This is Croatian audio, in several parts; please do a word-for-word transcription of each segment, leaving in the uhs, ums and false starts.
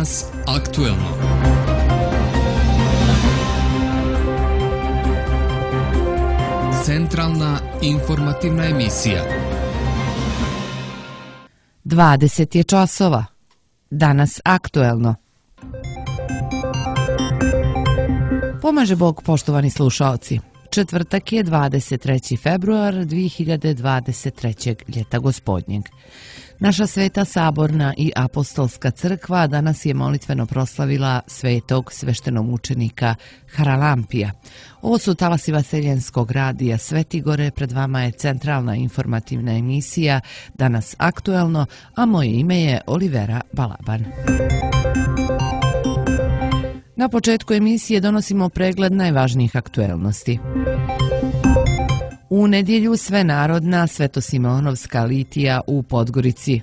Danas aktuelno. Centralna informativna emisija. dvadeset je časova. Danas aktuelno. Pomaže Bog, poštovani slušaoci. Četvrtak je dvadeset treći februar dve hiljade dvadeset trećeg. ljeta gospodnjeg. Naša Sveta Saborna i Apostolska crkva danas je molitveno proslavila svetog sveštenomučenika Haralampija. Ovo su talasi Vaseljenskog radija Svetigore, pred vama je centralna informativna emisija Danas aktuelno, a moje ime je Olivera Balaban. Na početku emisije donosimo pregled najvažnijih aktuelnosti. U nedjelju svenarodna Svetosimeonovska litija u Podgorici.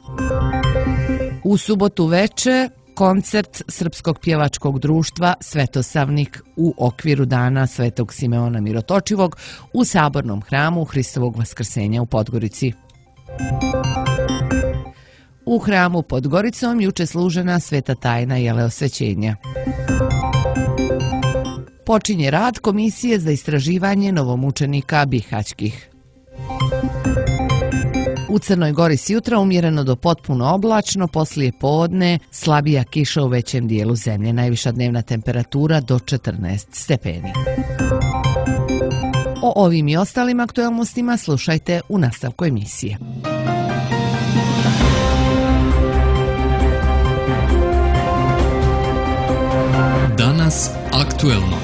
U subotu veče koncert Srpskog pjevačkog društva Svetosavnik u okviru dana Svetog Simeona Mirotočivog u Sabornom hramu Hristovog Vaskrsenja u Podgorici. U hramu pod Goricom juče služena sveta tajna jeleosvećenja. Počinje rad Komisije za istraživanje novomučenika bihaćkih. U Crnoj Gori sjutra umjereno do potpuno oblačno, poslije podne slabija kiša u većem dijelu zemlje, najviša dnevna temperatura do četrnaest stepeni. O ovim i ostalim aktualnostima slušajte u nastavku emisije. Danas aktuelno.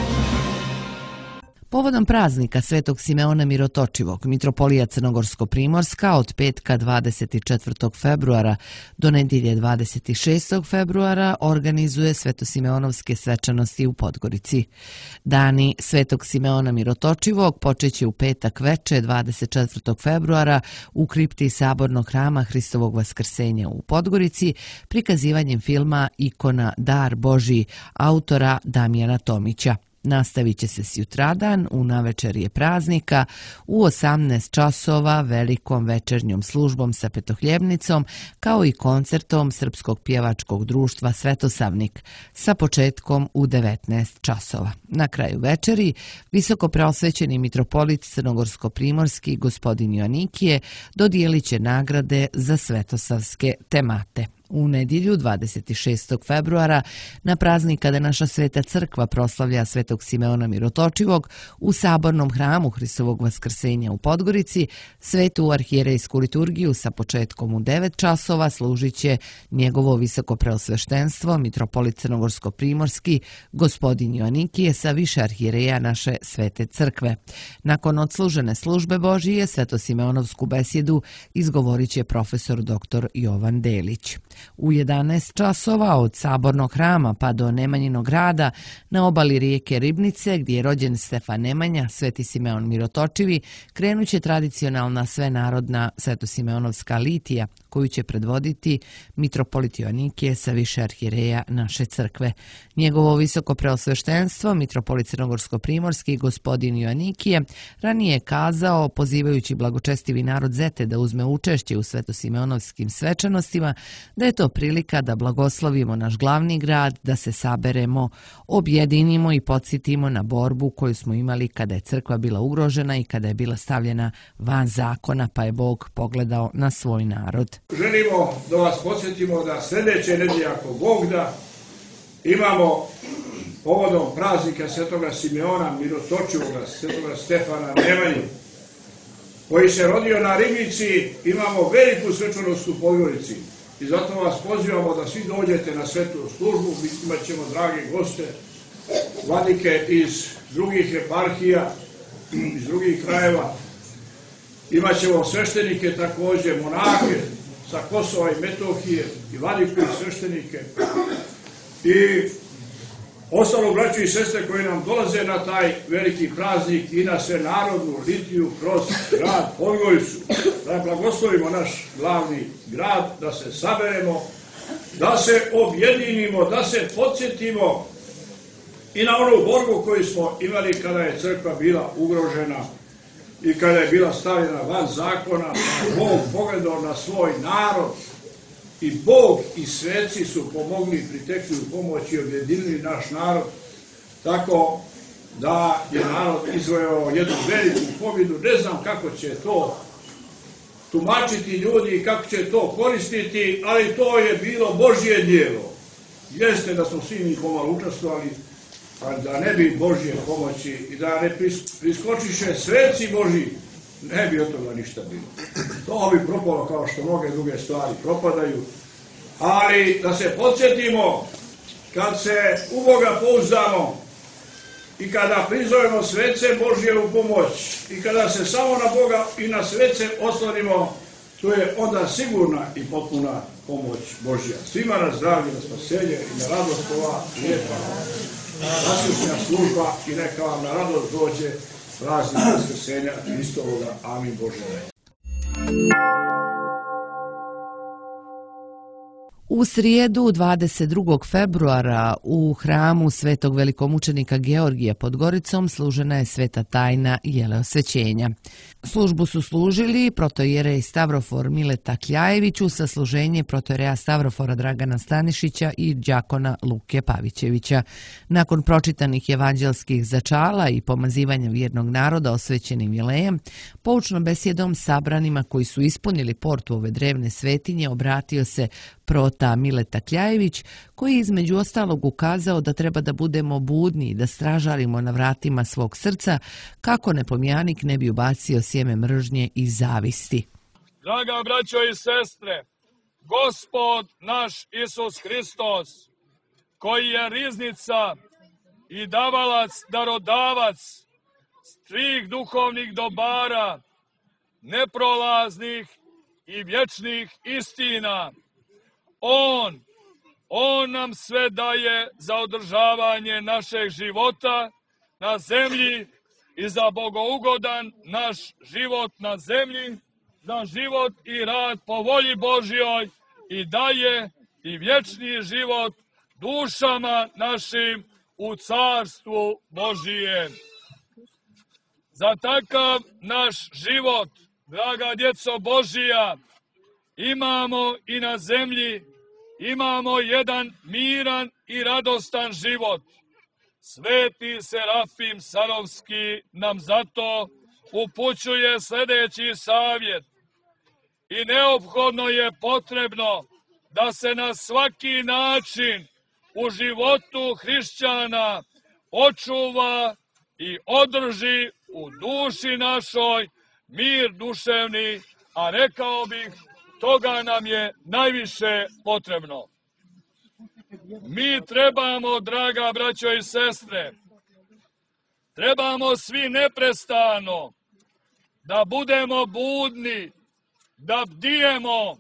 Povodom praznika Svetog Simeona Mirotočivog, Mitropolija Crnogorsko-Primorska od petka dvadeset četvrtog februara do nedjelje dvadeset šestog februara organizuje Svetosimeonovske svečanosti u Podgorici. Dani Svetog Simeona Mirotočivog počeće u petak veče dvadeset četvrtog februara u kripti Sabornog hrama Hristovog Vaskrsenja u Podgorici prikazivanjem filma Ikona Dar Božji autora Damjana Tomića. Nastavit će se sjutradan u navečerje praznika u osamnaest časova velikom večernjom službom sa petohljebnicom kao i koncertom Srpskog pjevačkog društva Svetosavnik sa početkom u devetnaest časova. Na kraju večeri visoko preosvećeni mitropolit Crnogorsko-Primorski gospodin Joanikije dodijelit će nagrade za svetosavske temate. U nedjelju dvadeset šestog februara na praznik kada naša Sveta crkva proslavlja Svetog Simeona Mirotočivog u Sabornom hramu Hristovog Vaskrsenja u Podgorici, svetu arhijerejsku liturgiju sa početkom u devet časova služit će njegovo visoko preosveštenstvo mitropolit Crnogorsko-Primorski gospodin Joanikije sa više arhijereja naše Svete crkve. Nakon odslužene službe Božije Svetosimeonovsku besjedu izgovorit će profesor doktor Jovan Delić. U jedanaest časova od Sabornog hrama pa do Nemanjinog grada na obali rijeke Ribnice, gdje je rođen Stefan Nemanja, Sveti Simeon Mirotočivi, krenut će tradicionalna svenarodna Svetosimeonovska litija, koju će predvoditi mitropolit Joanikije sa više arhijereja naše crkve. Njegovo visoko preosveštenstvo, mitropolit Crnogorsko-Primorski gospodin Joanikije, ranije je kazao, pozivajući blagočestivi narod Zete da uzme učešće u Svetosimeonovskim svečanostima, da je to prilika da blagoslovimo naš glavni grad, da se saberemo, objedinimo i podsjetimo na borbu koju smo imali kada je crkva bila ugrožena i kada je bila stavljena van zakona, pa je Bog pogledao na svoj narod. Želimo da vas podsjetimo da sljedeće nedjelje, ako Bog da, imamo povodom praznika Svetoga Simeona Mirotočivoga, Svetoga Stefana Nemanju, koji se rodio na Ribnici, imamo veliku svečanost u Podgorici. I zato vas pozivamo da svi dođete na svetu službu, imat ćemo drage goste, vladike iz drugih eparhija, iz drugih krajeva. Imat ćemo sveštenike također, monake sa Kosova i Metohije i vladiku i sveštenike. I ostalo braću i sestre koji nam dolaze na taj veliki praznik i na svenarodnu litiju kroz grad Podgoricu. Da blagoslovimo naš glavni grad, da se saberemo, da se objedinimo, da se podsjetimo i na onu borbu koju smo imali kada je crkva bila ugrožena i kada je bila stavljena van zakona, Bog pogledao na svoj narod i Bog i sveci su pomogli, pritekli u pomoć i objedinili naš narod, tako da je narod izvojao jednu veliku pobjedu. Ne znam kako će to tumačiti ljudi i kako će to koristiti, ali to je bilo Božje djelo. Jeste da smo svi mi pomalo učestvovali, ali da ne bi Božje pomoći i da ne priskočiše sveci Božji, ne bi od toga ništa bilo. To bi propalo kao što mnoge druge stvari propadaju, ali da se podsjetimo, kad se u Boga pouzdamo i kada prizovemo svece Božje u pomoć i kada se samo na Boga i na svece oslonimo, to je onda sigurna i potpuna pomoć Božja. Svima na zdravlje, na spasenje i na radost ova lijepa nasušnja služba i neka vam na radost dođe praznik Vaskrsenja Hristovoga. Amin Bože. U srijedu dvadeset drugog februara u hramu svetog velikomučenika Georgija pod Goricom služena je sveta tajna jeleosvećenja. Službu su služili protojerej Stavrofor Mileta Kljajević u sasluženje protojereja Stavrofora Dragana Stanišića i đakona Luke Pavićevića. Nakon pročitanih evanđelskih začala i pomazivanja vjernog naroda osvećenim jelejem, poučnom besjedom sabranima koji su ispunili portu ove drevne svetinje obratio se prota Mileta Kljajević, koji je između ostalog ukazao da treba da budemo budni i da stražarimo na vratima svog srca kako nepomjanik ne bi ubacio sjeme mržnje i zavisti. Draga braćo i sestre, Gospod naš Isus Hristos, koji je riznica i davalac, darodavac svih duhovnih dobara, neprolaznih i vječnih istina, On, On nam sve daje za održavanje našeg života na zemlji i za bogougodan naš život na zemlji, za život i rad po volji Božjoj i daje i vječni život dušama našim u carstvu Božijem. Za takav naš život, draga djeco Božija, imamo i na zemlji, imamo jedan miran i radostan život. Sveti Serafim Sarovski nam zato upućuje sljedeći savjet. I neophodno je potrebno da se na svaki način u životu hrišćana očuva i održi u duši našoj mir duševni, a rekao bih, toga nam je najviše potrebno. Mi trebamo, draga braćo i sestre, trebamo svi neprestano da budemo budni, da bdijemo,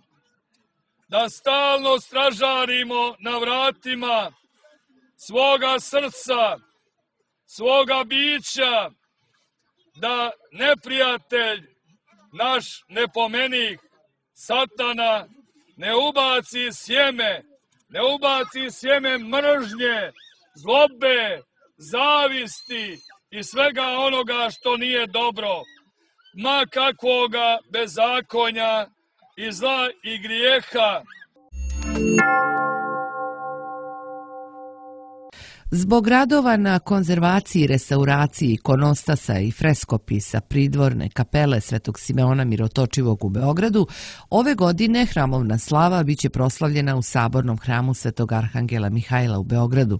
da stalno stražarimo na vratima svoga srca, svoga bića, da neprijatelj, naš nepomenik, Satana, ne ubaci sjeme, ne ubaci sjeme mržnje, zlobe, zavisti i svega onoga što nije dobro, ma kakvoga bezakonja i zla i grijeha. Zbog radova na konzervaciji i restauraciji ikonostasa i freskopisa pridvorne kapele Svetog Simeona Mirotočivog u Beogradu, ove godine hramovna slava biće proslavljena u Sabornom hramu Svetog Arhangela Mihajla u Beogradu.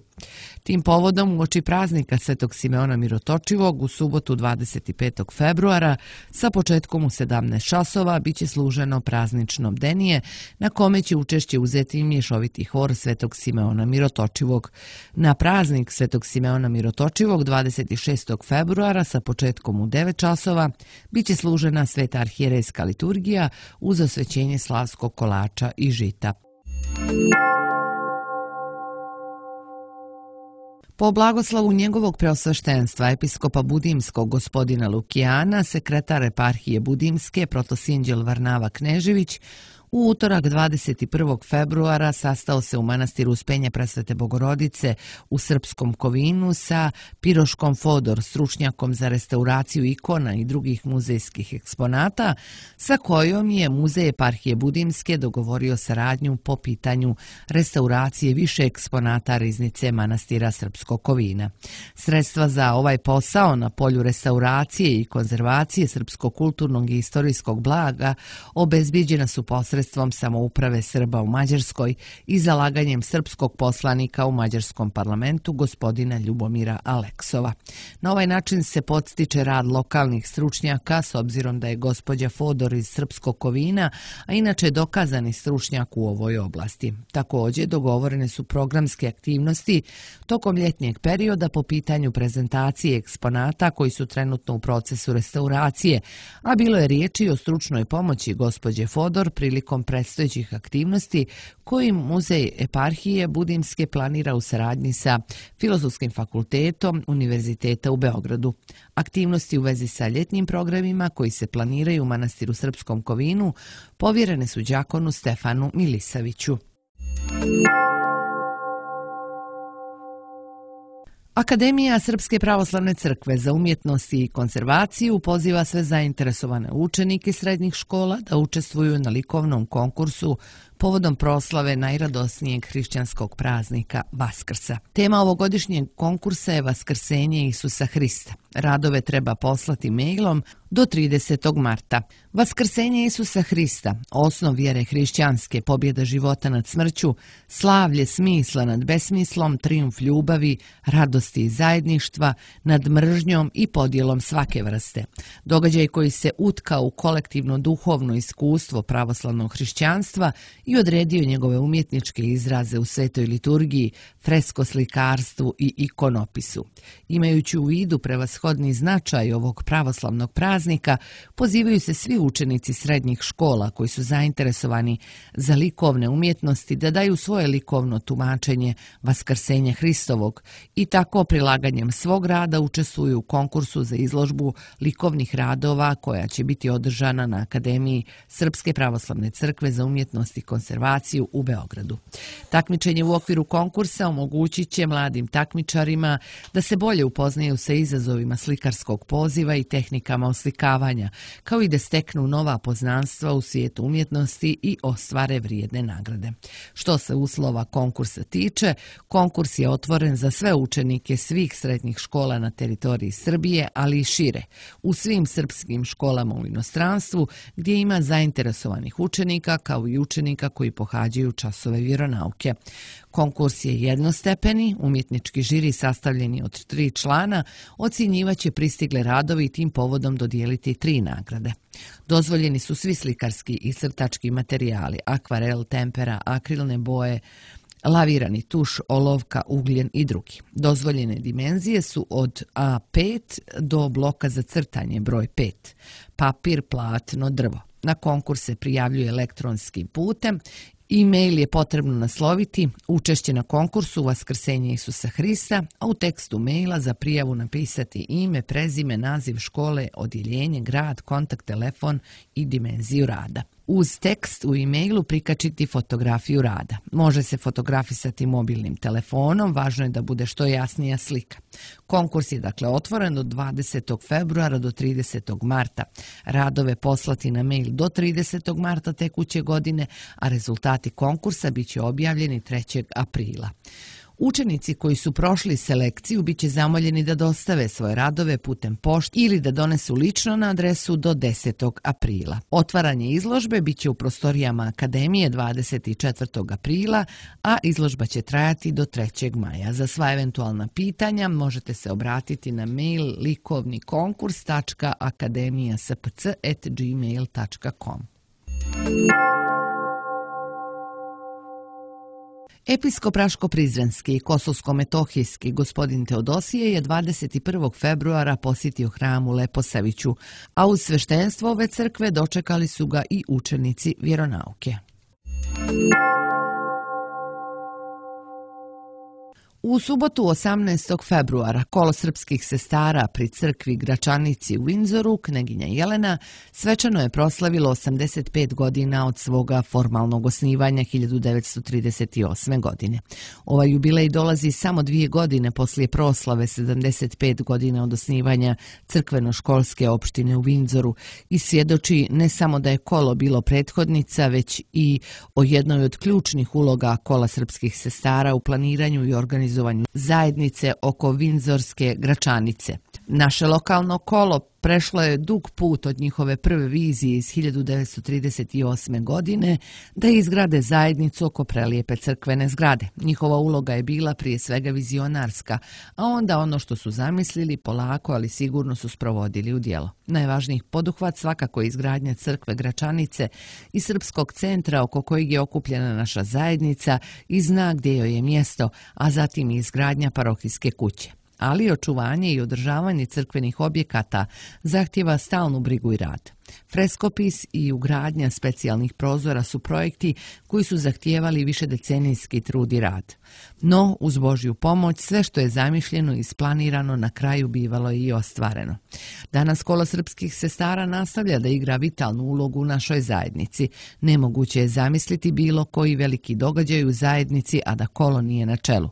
Tim povodom uoči praznika Svetog Simeona Mirotočivog u subotu dvadeset petog februara sa početkom u sedamnaest časova biće služeno praznično bdenije na kome će učešće uzeti mješoviti hor Svetog Simeona Mirotočivog. Na praznik Svetog Simeona Mirotočivog dvadeset šestog februara sa početkom u devet časova biće služena sveta arhijerejska liturgija uz osvećenje slavskog kolača i žita. Po blagoslavu njegovog preosveštenstva episkopa Budimskog gospodina Lukijana, sekretar eparhije Budimske protosjenđel Varnava Knežević, U utorak dvadeset prvog februara sastao se u manastiru Uspenja Presvete Bogorodice u Srpskom Kovinu sa Piroškom Fodor, stručnjakom za restauraciju ikona i drugih muzejskih eksponata, sa kojom je Muzej eparhije Budimske dogovorio saradnju po pitanju restauracije više eksponata riznice manastira Srpskog Kovina. Sredstva za ovaj posao na polju restauracije i konzervacije srpskog kulturnog i istorijskog blaga obezbiđena su posredstvom samouprave Srba u Mađarskoj i zalaganjem srpskog poslanika u mađarskom parlamentu gospodina Ljubomira Aleksova. Na ovaj način se podstiče rad lokalnih stručnjaka s obzirom da je gospođa Fodor iz Srpskog Kovina, a inače dokazani stručnjak u ovoj oblasti. Također dogovorene su programske aktivnosti tokom ljetnjeg perioda po pitanju prezentacije eksponata koji su trenutno u procesu restauracije, a bilo je riječi o stručnoj pomoći gospođe Fodor prilikom predstojećih aktivnosti kojim Muzej eparhije Budimske planira u saradnji sa Filozofskim fakultetom Univerziteta u Beogradu. Aktivnosti u vezi sa ljetnim programima koji se planiraju u manastiru Srpskom Kovinu povjerene su đakonu Stefanu Milisaviću. Akademija Srpske pravoslavne crkve za umjetnost i konzervaciju poziva sve zainteresovane učenike srednjih škola da učestvuju na likovnom konkursu povodom proslave najradosnijeg hrišćanskog praznika Vaskrsa. Tema ovogodišnjeg konkursa je Vaskrsenje Isusa Hrista. Radove treba poslati mailom do tridesetog marta. Vaskrsenje Isusa Hrista, osnov vjere hrišćanske, pobjeda života nad smrću, slavlje smisla nad besmislom, trijumf ljubavi, radosti i zajedništva, nad mržnjom i podjelom svake vrste. Događaj koji se utkao u kolektivno duhovno iskustvo pravoslavnog hrišćanstva i odredio njegove umjetničke izraze u svetoj liturgiji, freskoslikarstvu i ikonopisu. Imajući u vidu prevashodni značaj ovog pravoslavnog praznika, pozivaju se svi učenici srednjih škola koji su zainteresovani za likovne umjetnosti da daju svoje likovno tumačenje Vaskrsenja Hristovog i tako prilaganjem svog rada učestvuju u konkursu za izložbu likovnih radova koja će biti održana na Akademiji Srpske pravoslavne crkve za umjetnost i konzervaciju u Beogradu. Takmičenje u okviru konkursa omogućit će mladim takmičarima da se bolje upoznaju sa izazovima slikarskog poziva i tehnikama oslikavanja, kao i da steknu nova poznanstva u svijetu umjetnosti i ostvare vrijedne nagrade. Što se uslova konkursa tiče, konkurs je otvoren za sve učenike svih srednjih škola na teritoriji Srbije, ali i šire, u svim srpskim školama u inostranstvu gdje ima zainteresovanih učenika kao i učenika koji pohađaju časove vjeronauke. Konkurs je jednostepeni, umjetnički žiri sastavljeni od tri člana ocjenjivaće pristigle radovi i tim povodom dodijeliti tri nagrade. Dozvoljeni su svi slikarski i crtački materijali, akvarel, tempera, akrilne boje, lavirani tuš, olovka, ugljen i drugi. Dozvoljene dimenzije su od A pet do bloka za crtanje broj pet, papir, platno, drvo. Na konkurs se prijavljuje elektronskim putem. E-mail je potrebno nasloviti učešće na konkursu Vaskrsenje Isusa Hrista, a u tekstu maila za prijavu napisati ime, prezime, naziv škole, odjeljenje, grad, kontakt, telefon i dimenziju rada. Uz tekst u e-mailu prikačiti fotografiju rada. Može se fotografisati mobilnim telefonom, važno je da bude što jasnija slika. Konkurs je dakle otvoren od dvadesetog februara do tridesetog marta. Radove poslati na mail do tridesetog marta tekuće godine, a rezultati konkursa bit će objavljeni trećeg aprila. Učenici koji su prošli selekciju bit će zamoljeni da dostave svoje radove putem pošte ili da donesu lično na adresu do desetog aprila. Otvaranje izložbe bit će u prostorijama Akademije dvadeset četvrtog aprila, a izložba će trajati do trećeg maja. Za sva eventualna pitanja možete se obratiti na mail likovnikonkurs tačka akademija s p c at gmail tačka com. Episkop Raško-Prizrenski i Kosovsko-Metohijski gospodin Teodosije je dvadeset prvog februara posjetio hram u Leposaviću, a uz sveštenstvo ove crkve dočekali su ga i učenici vjeronauke. U subotu osamnaestog februara kolo srpskih sestara pri crkvi Gračanici u Windsoru, kneginja Jelena, svečano je proslavilo osamdeset pet godina od svoga formalnog osnivanja hiljadu devetsto trideset osme. godine. Ovaj jubilej dolazi samo dvije godine poslije proslave sedamdeset pet godina od osnivanja crkveno-školske opštine u Windsoru i svjedoči ne samo da je kolo bilo prethodnica, već i o jednoj od ključnih uloga kola srpskih sestara u planiranju i organizaciji zajednice oko Windsorske Gračanice. Naše lokalno kolo prešlo je dug put od njihove prve vizije iz hiljadu devetsto trideset osme. godine da izgrade zajednicu oko prelijepe crkvene zgrade. Njihova uloga je bila prije svega vizionarska, a onda ono što su zamislili polako, ali sigurno su sprovodili u djelo. Najvažniji poduhvat svakako je izgradnja crkve Gračanice i srpskog centra oko kojeg je okupljena naša zajednica i zna gdje joj je mjesto, a zatim i izgradnja parohijske kuće. Ali očuvanje i održavanje crkvenih objekata zahtjeva stalnu brigu i rad. Freskopis i ugradnja specijalnih prozora su projekti koji su zahtijevali višedecenijski trud i rad. No, uz Božju pomoć, sve što je zamišljeno i isplanirano na kraju bivalo je i ostvareno. Danas kolo srpskih sestara nastavlja da igra vitalnu ulogu u našoj zajednici. Nemoguće je zamisliti bilo koji veliki događaj u zajednici, a da kolo nije na čelu.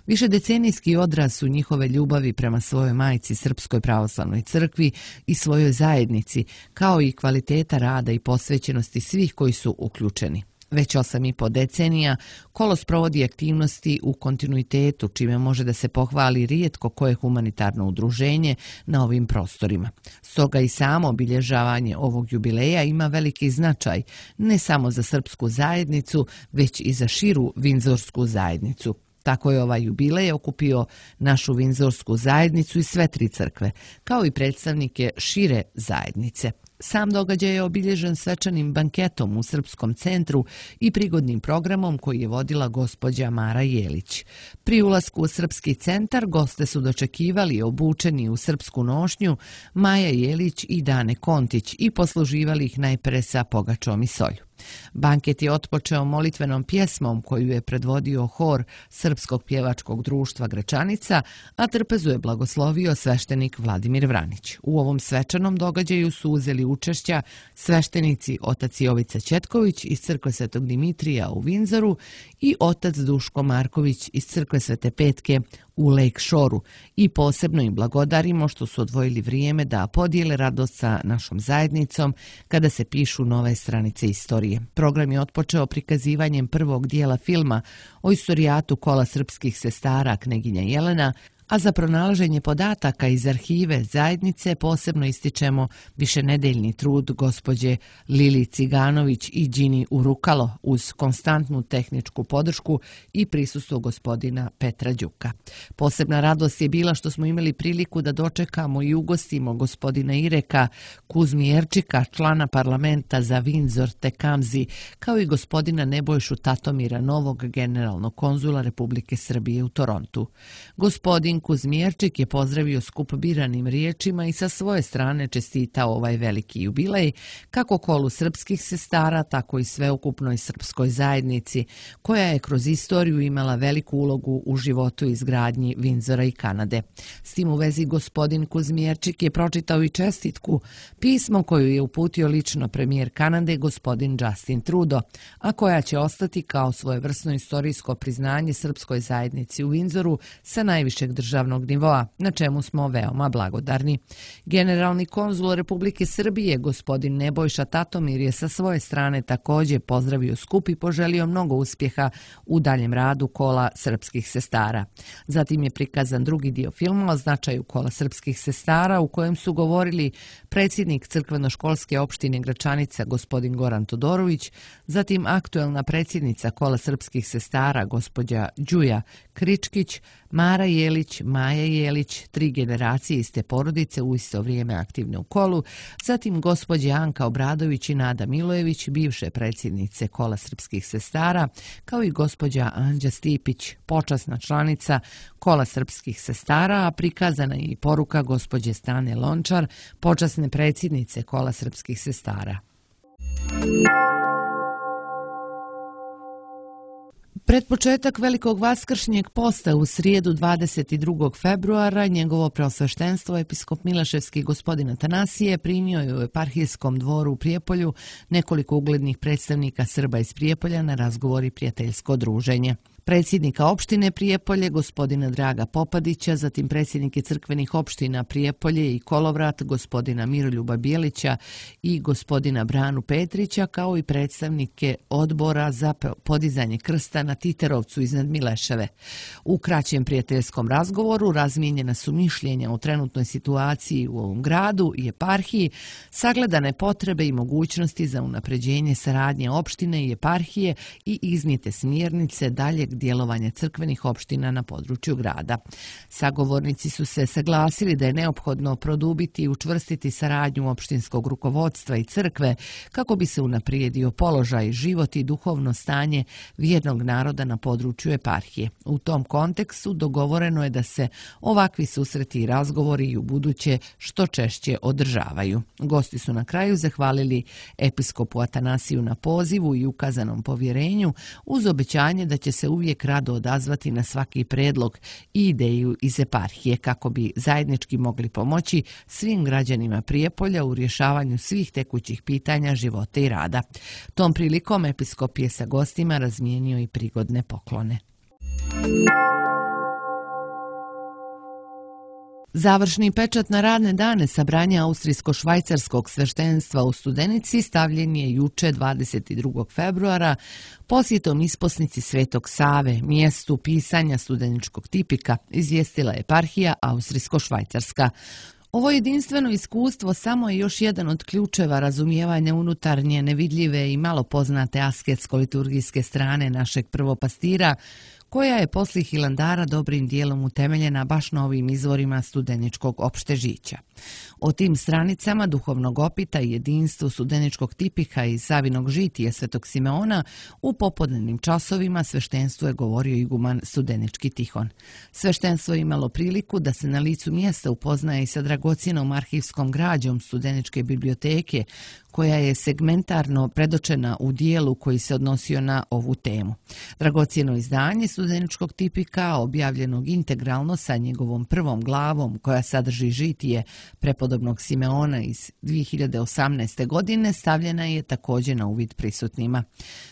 Višedecenijski odraz su njihove ljubavi prema svojoj majci Srpskoj pravoslavnoj crkvi i svojoj zajednici, kao i kvaliteta rada i posvećenosti svih koji su uključeni. Već osam i po decenija kolo sprovodi aktivnosti u kontinuitetu, čime može da se pohvali rijetko koje humanitarno udruženje na ovim prostorima. Stoga i samo obilježavanje ovog jubileja ima veliki značaj, ne samo za srpsku zajednicu, već i za širu Windsorsku zajednicu. Tako je ovaj jubilej okupio našu Windsorsku zajednicu i sve tri crkve, kao i predstavnike šire zajednice. Sam događaj je obilježen svečanim banketom u Srpskom centru i prigodnim programom koji je vodila gospođa Mara Jelić. Pri ulasku u Srpski centar goste su dočekivali obučeni u srpsku nošnju Maja Jelić i Dane Kontić i posluživali ih najpre sa pogačom i solju. Banket je otpočeo molitvenom pjesmom koju je predvodio hor Srpskog pjevačkog društva Gračanica, a trpezu je blagoslovio sveštenik Vladimir Vranić. U ovom svečanom događaju su uzeli učešća sveštenici otac Jovica Ćetković iz crkve Svetog Dimitrija u Windsoru i otac Duško Marković iz crkve Svete Petke u Lake Shoreu i posebno im blagodarimo što su odvojili vrijeme da podijele radost sa našom zajednicom kada se pišu nove stranice istorije. Program je otpočeo prikazivanjem prvog dijela filma o istorijatu kola srpskih sestara kneginja Jelena, a za pronalaženje podataka iz arhive zajednice posebno ističemo višenedeljni trud gospođe Lili Ciganović i Đini Urukalo uz konstantnu tehničku podršku i prisustvo gospodina Petra Đuka. Posebna radost je bila što smo imali priliku da dočekamo i ugostimo gospodina Ireka Kuzmijerčika, člana parlamenta za Windsor Tekamzi, kao i gospodina Nebojšu Tatomira, novog generalnog konzula Republike Srbije u Torontu. Gospodin Kuzmijerčik je pozdravio skup biranim riječima i sa svoje strane čestitao ovaj veliki jubilej, kako kolu srpskih sestara, tako i sveukupnoj srpskoj zajednici, koja je kroz istoriju imala veliku ulogu u životu i izgradnji Windsora i Kanade. S tim u vezi gospodin Kuzmijerčik je pročitao i čestitku, pismo koju je uputio lično premijer Kanade gospodin Justin Trudeau, a koja će ostati kao svojevrsno istorijsko priznanje srpskoj zajednici u Windsoru sa najvišeg državnog nivoa, na čemu smo veoma blagodarni. Generalni konzul Republike Srbije, gospodin Nebojša Tatomir, je sa svoje strane također pozdravio skup i poželio mnogo uspjeha u daljem radu kola srpskih sestara. Zatim je prikazan drugi dio filma o značaju kola srpskih sestara, u kojem su govorili predsjednik crkveno-školske opštine Gračanica, gospodin Goran Todorović, zatim aktuelna predsjednica kola srpskih sestara, gospođa Đuja Kričkić, Mara Jelić, Maja Jelić, tri generacije iste porodice u isto vrijeme aktivne u kolu, zatim gospođe Anka Obradović i Nada Milojević, bivše predsjednice kola srpskih sestara, kao i gospođa Anđa Stipić, počasna članica kola srpskih sestara, a prikazana je i poruka gospođe Stane Lončar, počasne predsjednice kola srpskih sestara. Pred početak velikog vaskršnjeg posta u srijedu dvadeset drugog februara njegovo preosveštenstvo episkop Milaševski gospodin Atanasije primio je u eparhijskom dvoru u Prijepolju nekoliko uglednih predstavnika Srba iz Prijepolja na razgovor i prijateljsko druženje. Predsjednika opštine Prijepolje, gospodina Draga Popadića, zatim predsjednike crkvenih opština Prijepolje i Kolovrat, gospodina Miroljuba Bijelića i gospodina Branu Petrića, kao i predstavnike odbora za podizanje krsta na Titerovcu iznad Mileševe. U kraćem prijateljskom razgovoru razmijenjena su mišljenja o trenutnoj situaciji u ovom gradu i eparhiji, sagledane potrebe i mogućnosti za unapređenje saradnje opštine i eparhije i iznijete smjernice daljeg djelovanja crkvenih opština na području grada. Sagovornici su se saglasili da je neophodno produbiti i učvrstiti saradnju opštinskog rukovodstva i crkve kako bi se unaprijedio položaj, život i duhovno stanje vjernog naroda na području eparhije. U tom kontekstu dogovoreno je da se ovakvi susreti i razgovori i u buduće što češće održavaju. Gosti su na kraju zahvalili episkopu Atanasiju na pozivu i ukazanom povjerenju uz obećanje da će se uvijek rado odazvati na svaki predlog i ideju iz eparhije kako bi zajednički mogli pomoći svim građanima Prijepolja u rješavanju svih tekućih pitanja života i rada. Tom prilikom episkop je sa gostima razmijenio i prigodne poklone. Završni pečat na radne dane sabranja austrijsko-švajcarskog sveštenstva u Studenici stavljen je juče dvadeset drugog februara posjetom isposnici Svetog Save, mjestu pisanja studeničkog tipika, izvijestila eparhija austrijsko-švajcarska. Ovo jedinstveno iskustvo samo je još jedan od ključeva razumijevanja unutarnje, nevidljive i malo poznate asketsko-liturgijske strane našeg prvopastira, koja je poslije Hilandara dobrim dijelom utemeljena baš na ovim izvorima studeničkog opštežića. O tim stranicama duhovnog opita i jedinstvu studeničkog tipika i Savinog žitije Svetog Simeona u popodnevnim časovima sveštenstvu je govorio iguman Studenički Tihon. Sveštenstvo je imalo priliku da se na licu mjesta upoznaje i sa dragocjenom arhivskom građom Studeničke biblioteke, koja je segmentarno predočena u dijelu koji se odnosio na ovu temu. Dragocjeno izdanje studeničkog tipika, objavljenog integralno sa njegovom prvom glavom koja sadrži žitije prepodobnog Simeona iz dvije hiljade osamnaeste. godine, stavljena je također na uvid prisutnima.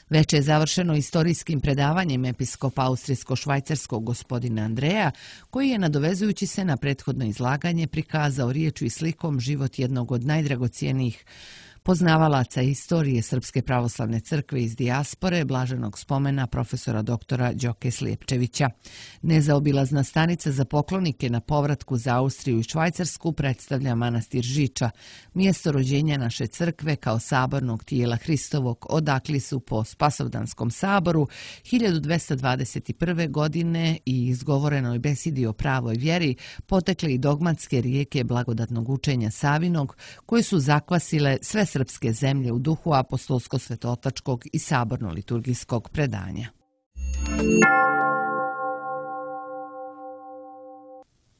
Već je završeno istorijskim predavanjem episkopa austrijsko-švajcarskog gospodina Andreja, koji je, nadovezujući se na prethodno izlaganje, prikazao riječu i slikom život jednog od najdragocijenijih poznavalaca istorije Srpske pravoslavne crkve iz dijaspore, blaženog spomena profesora doktora Đoke Slijepčevića. Nezaobilazna stanica za poklonike na povratku za Austriju i Švajcarsku predstavlja manastir Žiča, mjesto rođenja naše crkve kao sabornog tijela Hristovog, odakli su po Spasovdanskom saboru hiljadu dvesta dvadeset prve. godine i izgovorenoj besidi o pravoj vjeri potekle i dogmatske rijeke blagodatnog učenja Savinog, koje su zakvasile sve srpske zemlje u duhu apostolsko-svetotačkog i saborno-liturgijskog predanja.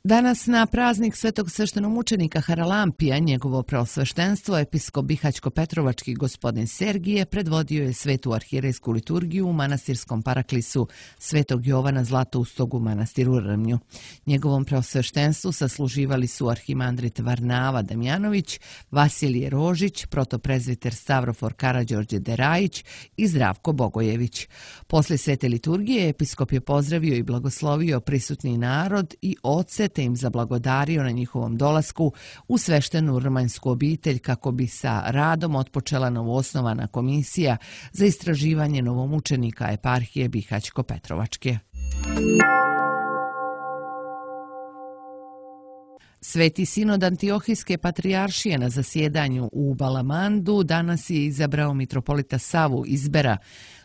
Danas na praznik svetog sveštenomučenika Haralampija njegovo preosveštenstvo episkop Bihaćko-Petrovački gospodin Sergije predvodio je svetu arhijerejsku liturgiju u manastirskom paraklisu Svetog Jovana Zlatoustog u manastiru Rmnju. Njegovom preosveštenstvu sasluživali su arhimandrit Varnava Damjanović, Vasilije Rožić, protoprezviter Stavrofor Karađorđe Derajić i Zdravko Bogojević. Poslije svete liturgije episkop je pozdravio i blagoslovio prisutni narod i oce, te im zablagodario na njihovom dolasku u sveštenu rmanjsku obitelj kako bi sa radom otpočela novoosnovana komisija za istraživanje novomučenika eparhije Bihaćko-Petrovačke. Sveti sinod Antiohijske patrijaršije na zasjedanju u Balamandu danas je izabrao mitropolita Savu Izbera,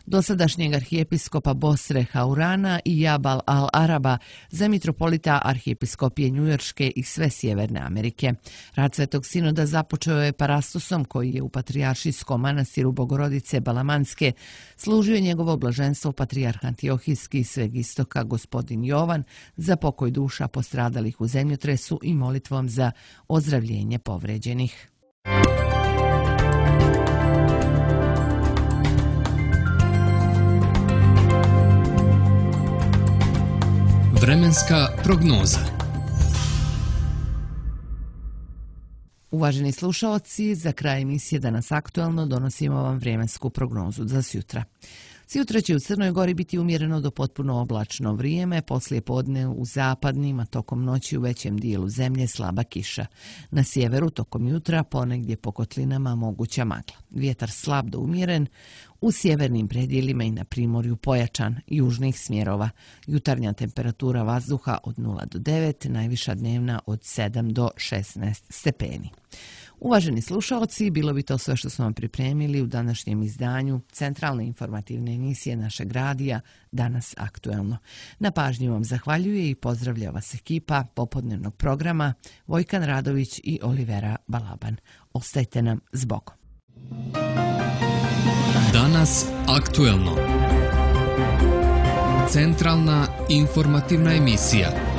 dosadašnjeg arhijepiskopa Bosre Haurana i Jabal al-Araba za mitropolita arhijepiskopije Njujorške i sve Sjeverne Amerike. Rad Svetog sinoda započeo je parastosom koji je u patrijaršijskom manastiru Bogorodice Balamanske služio njegovo blaženstvo patrijarh Antiohijski i sveg istoka gospodin Jovan za pokoj duša postradalih u zemljotresu i molitvom za ozdravljenje povređenih. Vremenska prognoza. Uvaženi slušaoci, za kraj emisije Danas aktuelno donosimo vam vremensku prognozu za sjutra. Sjutra će u Crnoj Gori biti umjereno do potpuno oblačno vrijeme, poslije podne u zapadnim, a tokom noći u većem dijelu zemlje slaba kiša. Na sjeveru tokom jutra ponegdje po kotlinama moguća magla. Vjetar slab do umjeren, u sjevernim predjelima i na primorju pojačan, južnih smjerova. Jutarnja temperatura vazduha od nula do devet, najviša dnevna od sedam do šesnaest stepeni. Uvaženi slušalci, bilo bi to sve što smo vam pripremili u današnjem izdanju centralne informativne emisije našeg radija Danas aktuelno. Na pažnju vam zahvaljuje i pozdravlja vas ekipa popodnevnog programa Vojkan Radović i Olivera Balaban. Ostajte nam s Bogom. Danas aktuelno. Centralna informativna emisija.